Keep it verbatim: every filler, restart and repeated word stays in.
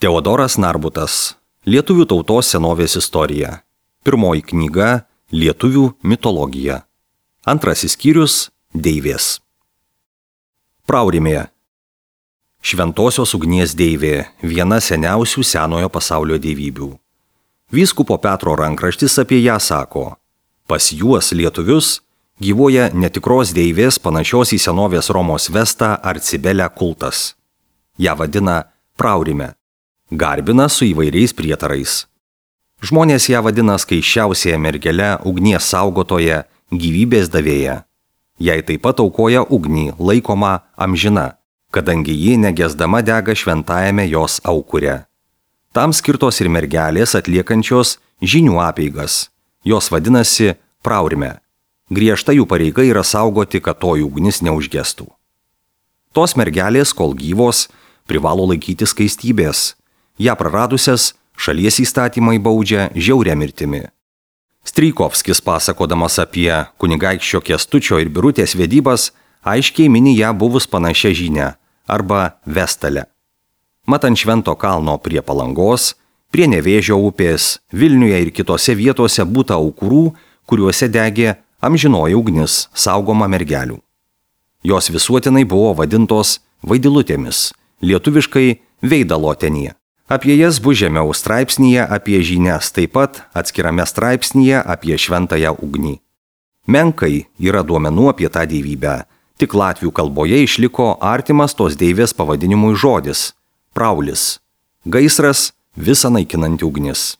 Teodoras Narbutas. Lietuvių tautos senovės istorija. Pirmoji knyga – Lietuvių mitologija. Antrasis skyrius – Deivės. Praurimė. Šventosios ugnies deivė – viena seniausių senojo pasaulio dievybių. Vyskupo Petro rankraštis apie ją sako: pas juos lietuvius gyvuoja netikros deivės panašios į senovės Romos Vestą ar Cibelę kultas. Ja vadina praurime. Garbina su įvairiais prietarais. Žmonės ją vadina skaisčiausiaja mergele, ugnies saugotoja, gyvybės davėja. Jai taip pat aukoja ugnį, laikoma amžina, kadangi ji negesdama dega šventajame jos aukure. Tam skirtos ir mergelės atliekančios žinių apeigas. Jos vadinasi praurime. Griežta jų pareiga yra saugoti, kad toji ugnis neužgestų. Tos mergelės, kol gyvos, privalo laikyti skaistybės. Ja praradusias šalies įstatymai baudžia žiauria mirtimi. Strijkovskis, pasakodamas apie kunigaikščio Kęstučio ir Birutės vedybas, aiškiai mini ją buvus panašia žinia arba Vestalę. Mat ant Švento kalno prie Palangos, prie Nevėžio upės, Vilniuje ir kitose vietose būta aukurų, kuriuose degė amžinoji ugnis, saugoma mergelių. Jos visuotinai buvo vadintos vaidilutėmis, lietuviškai veidalotenė. Apie jas bus žemiau straipsnyje apie žinias, taip pat atskirame straipsnyje apie šventąją ugnį. Menkai yra duomenų apie tą dievybę, tik latvių kalboje išliko artimas tos deivės pavadinimui žodis – praulis, gaisras, visa naikinanti ugnis.